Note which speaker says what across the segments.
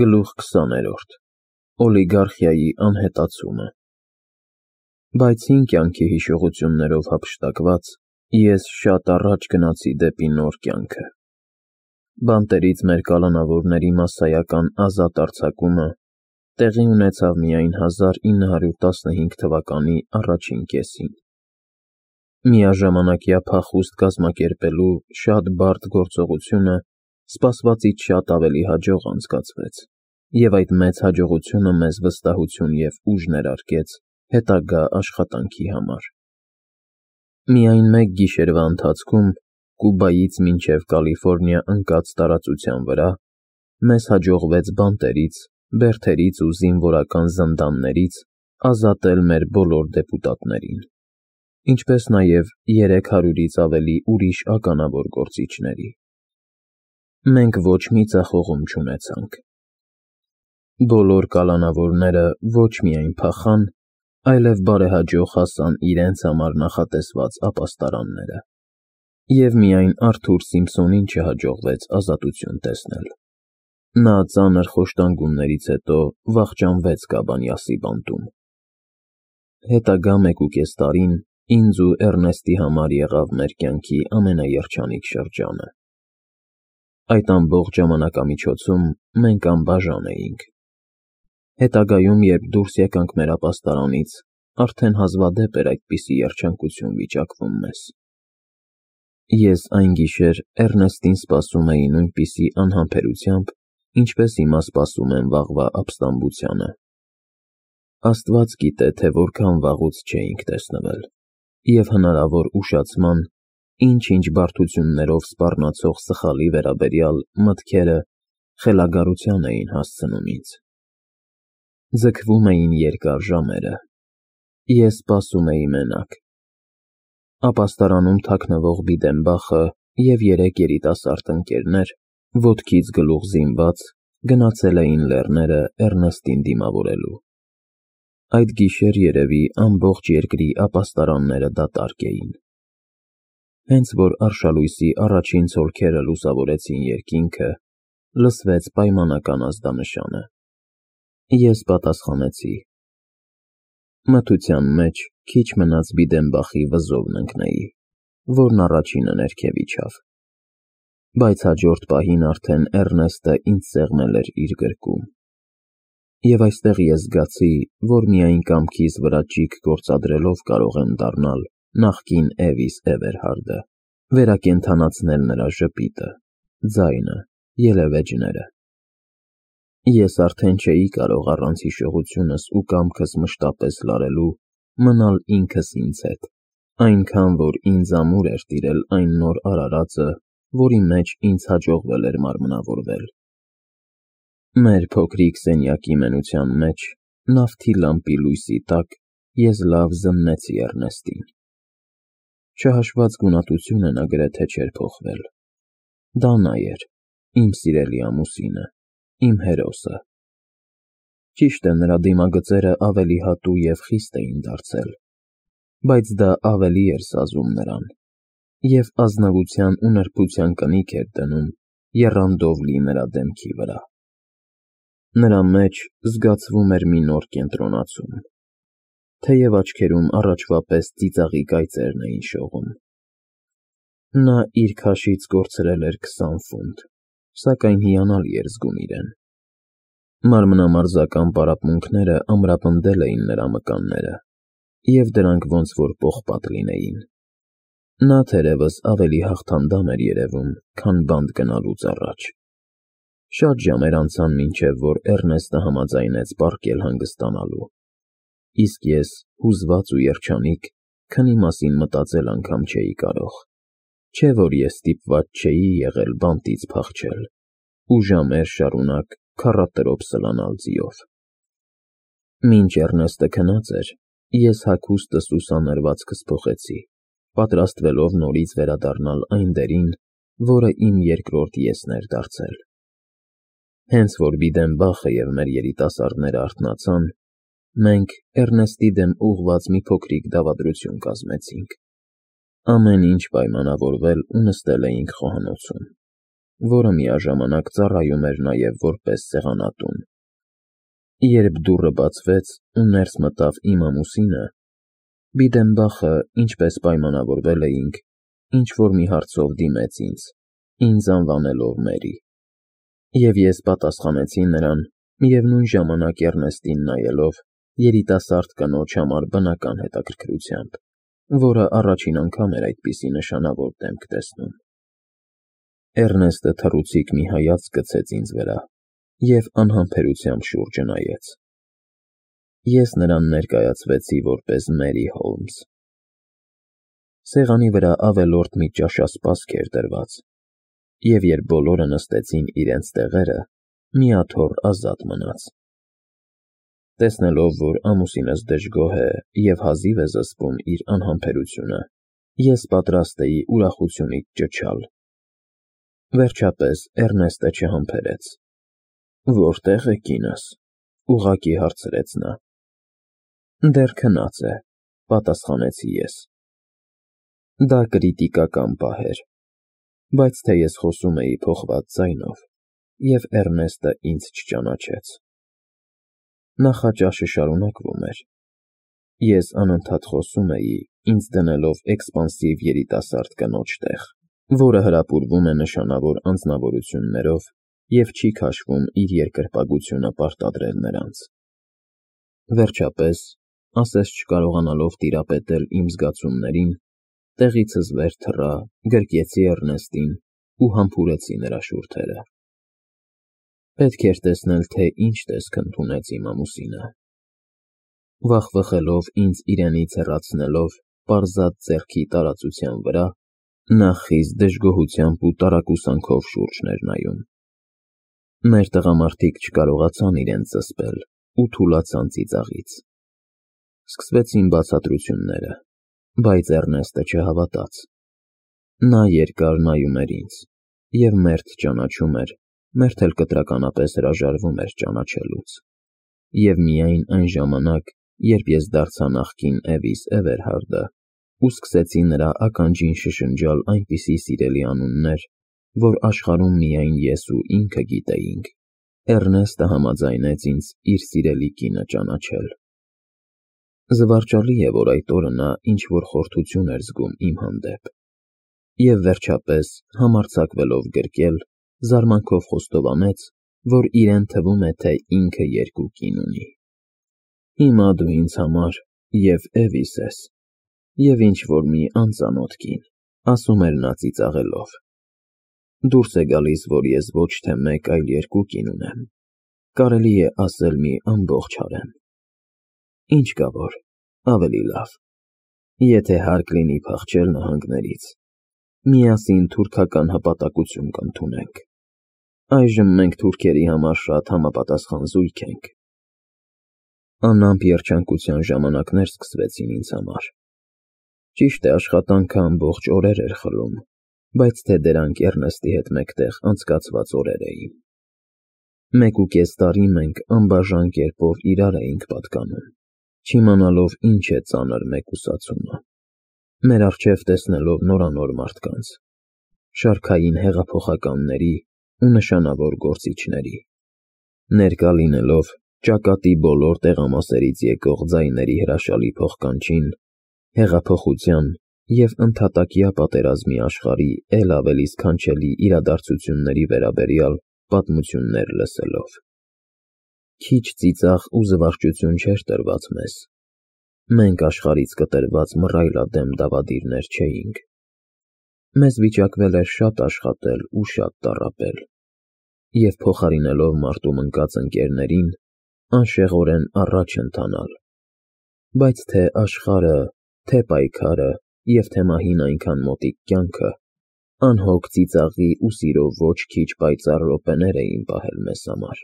Speaker 1: Գլուխ 20-րդ Օլիգարխիայի անհետացումը Բայց հին կյանքի հիշողություններով հափշտակված, ես շատ առաջ գնացի դեպի նոր կյանքը։ Բանտերից մեր կալանավորների մասսայական ազատ արձակումը տեղի ունեցավ միայն 1915 թվականի առաջին կեսին։ Միաժամանակյա փախուստ կազմակերպելու շատ բարդ գործողությունը սպասվածից շատ ավելի հաջող անցկացվեց, և այդ մեծ հաջողությունը մեզ վստահություն և ուժ ներարկեց հետագա աշխատանքի համար։ Միայն մեկ գիշերվա ընթացքում Կուբայից մինչև Կալիֆոռնիա ընկած տարածության վրա մեզ հաջողվեց բանտերից, բերդերից ու զինվորական զնդաններից ազատել մեր բոլոր դեպուտատներին, ինչպես նաև 300-ից ավելի ուրիշ ականավոր գործիչների։ Մենք ոչ մի ձախողում չունեցանք։ Բոլոր կալանավորները ոչ միայն փախան, այլև բարեհաջող հասան իրենց համար նախատեսված ապաստարանները, և միայն Արթուր Սիմփսոնին չհաջողվեց ազատություն տեսնել։ Նա ծանր խոշտանգումներից հետո վախճանվեց Կաբանյասի բանտում։ Հետագա 1.5 տարին ինձ ու Էռնեստի համար եղավ մեր կյանքի ամենաերջանիկ շրջանը։ Այդ ամբողջ ժամանակամիջոցում մենք անբաժան էինք։ Հետագայում, երբ դուրս եկանք մեր ապաստարանից, արդեն հազվադեպ էր այդպիսի երջանկություն վիճակվում մեզ։ Ես այն գիշեր Էռնեստին սպասում էի նույնպիսի անհամբերությամբ, ինչպես հիմա սպասում եմ վաղվա ապստամբությանը։ Աստված գիտե, թե որքան վաղուց չէինք տեսնվել, և հնարավոր ուշացման, ինչ-ինչ բարդություններով սպառնացող սխալի վերաբերյալ մտքերը խելագարության էին հասցնում ինձ։ Ձգվում էին երկար ժամերը։ Ես սպասում էի մենակ։ Ապաստարանում թաքնվող Բիդենբախը և 3 երիտասարդ ընկերներ, ոտքից գլուխ զինված, գնացել էին լեռները Էռնեստին դիմավորելու։ Այդ գիշեր, երևի, ամբողջ երկրի ապաստարանները դատարկ էին։ Հենց որ արշալույսի առաջին ցոլքերը լուսավորեցին երկինքը, լսվեց պայմանական ազդանշանը։ Ես պատասխանեցի։ Մթության մեջ քիչ մնաց Բիդենբախի վզովն ընկնեի, որն առաջինը ներքև իջավ։ Բայց հաջորդ պահին արդեն Էռնեստը ինձ սեղմել էր իր գրկում։ Եվ այստեղ ես զգացի, որ միայն կամքիս վրա ճիգ գործադրելով կարող եմ դառնալ նախկին Էվիս Էվերհարդը, վերակենդանացնել նրա ժպիտը, ձայնը, ելևէջները։ Ես արդեն չէի կարող առանց հիշողությունս ու կամքս մշտապես լարելու մնալ ինքս ինձ հետ, այնքան, որ ինձ ամուր էր տիրել այն նոր արարածը, որի մեջ ինձ հաջողվել էր մարմնավորվել։ Մեր փոքրիկ սենյակի մենության մեջ, նավթի լամպի լույսի տակ, ես լավ զննեցի Էռնեստին։ Չհաշված գունատությունը նա գրեթե չէր փոխվել։ Դա նա էր, իմ սիրելի ամուսինը, իմ հերոսը։ Ճիշտ է, նրա դիմագծերը ավելի հատու և խիստ էին դարձել, բայց դա ավելի էր սազում նրան, և ազնվության ու նրբության կնիկ էր դնում եռանդով լի նրա դեմքի վրա։ Նրա մեջ զգացվում էր մի նոր կենտրոնացում, թեև աչքերում առաջվա պես ծիծաղի կայծերն էին շողում։ Նա իր քաշից կորցրել էր 20 ֆունտ, սակայն հիանալի էր զգում իրեն։ Մարմնամարզական պարապմունքները ամրապնդել էին նրա մկանները, և դրանք ոնց որ պողպատ լինեին։ Նա թերևս ավելի հաղթանդամ էր երևում, քան բանտ գնալուց առաջ։ Շատ ժամեր անցան, մինչև որ Էռնեստը համաձայնեց պառկել հանգստանալու, իսկ ես, հուզված ու երջանիկ, քնի մասին մտածել անգամ չէի կարող, չէ՞ որ ես ստիպված չէի եղել բանտից փախչել ու ժամեր շարունակ քառատրոփ սլանալ ձիով։ Մինչ Էռնեստը քնած էր, ես հագուստս ու սանրվածքս փոխեցի, պատրաստվելով նորից վերադառնալ այն դերին, որը իմ երկրորդ եսն էր դարձել։ Հենց որ Բիդենբախը և մեր երիտասարդները արթնացան, մենք Էռնեստի դեմ ուղղված մի փոքրիկ դավադրություն կազմեցինք։ Ամեն ինչ պայմանավորվել ու նստել էինք խոհանոցում։ որը միաժամանակ ծառայում էր նաև որպես սեղանատուն։ Երբ դուռը բացվեց ու ներս մտավ իմ ամուսինը, Բիդենբախը, ինչպես պայմանավորվել էինք, ինչ-որ մի հարցով դիմեց ինձ անվանելով Մերի, և ես պատասխանեցի նրան, միևնույն ժամանակ Էռնեստին նայելով երիտասարդ կնոջ համար բնական հետաքրքրությամբ, որը առաջին անգամ էր այդպիսի նշանավոր դեմք տեսնում։ Էռնեստը թռուցիկ մի հայացք գցեց ինձ վրա և անհամբերությամբ շուրջը նայեց։ Ես նրան ներկայացվեցի որպես Մերի Հոլմս։ Սեղանի վրա ավելորդ մի ճաշասպասք էր դրված, և երբ բոլորը նստեցին իրենց տեղերը, մի աթոռ ազատ մնաց։ Տեսնելով, որ ամուսինս դժգոհ է և հազիվ է զսպում իր անհամբերությունը, ես պատրաստ էի ուրախությունից ճչալ։ Վերջապես Էռնեստը չհամբերեց։ «Որտե՞ղ է կինս», ուղղակի հարցրեց նա։ «Դեռ քնած է», պատասխանեցի ես։ Դա կրիտիկական պահ էր, բայց թե ես խոսում էի փոխված ձայնով, և Էռնեստը ինձ չճանաչեց։ Նախաճաշը շարունակվում էր։ Ես անընդհատ խոսում էի, ինձ դնելով էքսպանսիվ երիտասարդ կնոջ տեղ, որը հրապուրվում է նշանավոր անձնավորություններով և չի քաշվում իր երկրպագությունը պարտադրել նրանց։ Վերջապես, ասես չկարողանալով տիրապետել իմ զգացումներին, տեղիցս վեր թռա, գրկեցի Էռնեստին ու համբուրեցի նրա շուրթերը։ Պետք էր տեսնել, թե ինչ տեսք ընդունեց իմ ամուսինը։ Վախվխելով ինձ իրենից հեռացնելով պարզած ձեռքի տարածության վրա, նա խիստ դժգոհությամբ ու տարակուսանքով շուրջն էր նայում։ Մեր տղամարդիկ չկարողացան իրենց զսպել ու թուլացան ծիծաղից։ Սկսվեցին բացատրությունները, բայց Էռնեստը չհավատաց։ Նա երկար նայում էր ինձ և մերթ ճանաչում էր, մերթ էլ կտրականապես հրաժարվում էր ճանաչելուց։ Եվ միայն այն ժամանակ, երբ ես դարձա նախկին Էվիս Էվերհարդը ու սկսեցի նրա ականջին շշնջալ այնպիսի սիրելի անուններ, որ աշխարհում միայն ես ու ինքը գիտեինք, Էռնեստը համաձայնեց ինձ իր սիրելի կինը ճանաչել։ Զվարճալի է, որ այդ օրը նա ինչ-որ խորթություն էր զգում իմ հանդեպ, և վերջապես, համարձակվելով գրկել, զարմանքով խոստովանեց, որ իրեն թվում է, թե ինքը երկու կին ունի։ «Հիմա դու ինձ համար և Էվիս ես, և ինչ-որ մի անծանոթ կին», ասում էր նա ծիծաղելով։ «Դուրս է գալիս, որ ես ոչ թե մեկ, այլ երկու կին ունեմ, կարելի է ասել մի ամբողջ հարեմ։ Ինչ կա որ, ավելի լավ, եթե հարկ լինի փախչել նահանգներից, միասին թուրքական հպատակություն կընդունենք։ Այժմ մենք թուրքերի համար շատ համապատասխան զույգ ենք»։ Անամպ երջանկության ժամանակներ սկսվեցին ինձ համար։ Ճիշտ է, աշխատանքը ամբողջ օրեր էր խլում, բայց թե դրանք Էռնեստի հետ մեկտեղ անցկացված օրեր էին։ 1.5 տարի մենք անբաժան կերպով իրար էինք պատկանում, չիմանալով ինչ է ծանր մեկուսացումը, մեր առջև տեսնելով նորանոր մարդկանց, շարքային հեղափոխականների ու նշանավոր գործիչների, ներկա լինելով ճակատի բոլոր տեղամասերից եկող ձայների հրաշալի փոխկանչին, հեղափոխության և ընդհատակյա պատերազմի աշխարհի էլ ավելի սքանչելի իրադարձությունների վերաբերյալ պատմություններ լսելով։ Քիչ ծիծաղ ու զվարճություն չէր տրված մեզ։ Մենք աշխարհից կտրված մռայլադեմ դավադիրներ չէինք։ Մեզ վիճակվել էր շատ աշխատել ու շատ տառապել, և փոխարինելով մարտում ընկած ընկերներին, անշեղորեն առաջ ընթանալ, բայց թե աշխարհը, թե պայքարը և թե մահին այնքան մոտիկ կյանքը անհոգ ծիծաղի ու սիրո ոչ քիչ պայծառ րոպեներ էին պահել մեզ համար։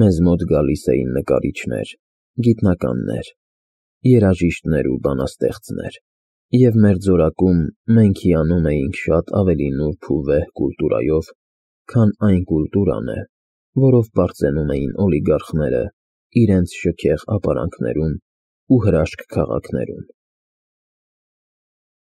Speaker 1: Մեզ մոտ գալիս էին նկարիչներ, գիտնականներ, երաժիշտներ ու բանաստեղծներ, և մեր ձորակում մենք հիանում էինք շատ ավելի նուրբ ու վեհ կուլտուրայով, քան այն կուլտուրան է, որով պարծենում էին օլիգարխները իրենց շքեղ ապարանքներում ու հրաշք քաղաքներում։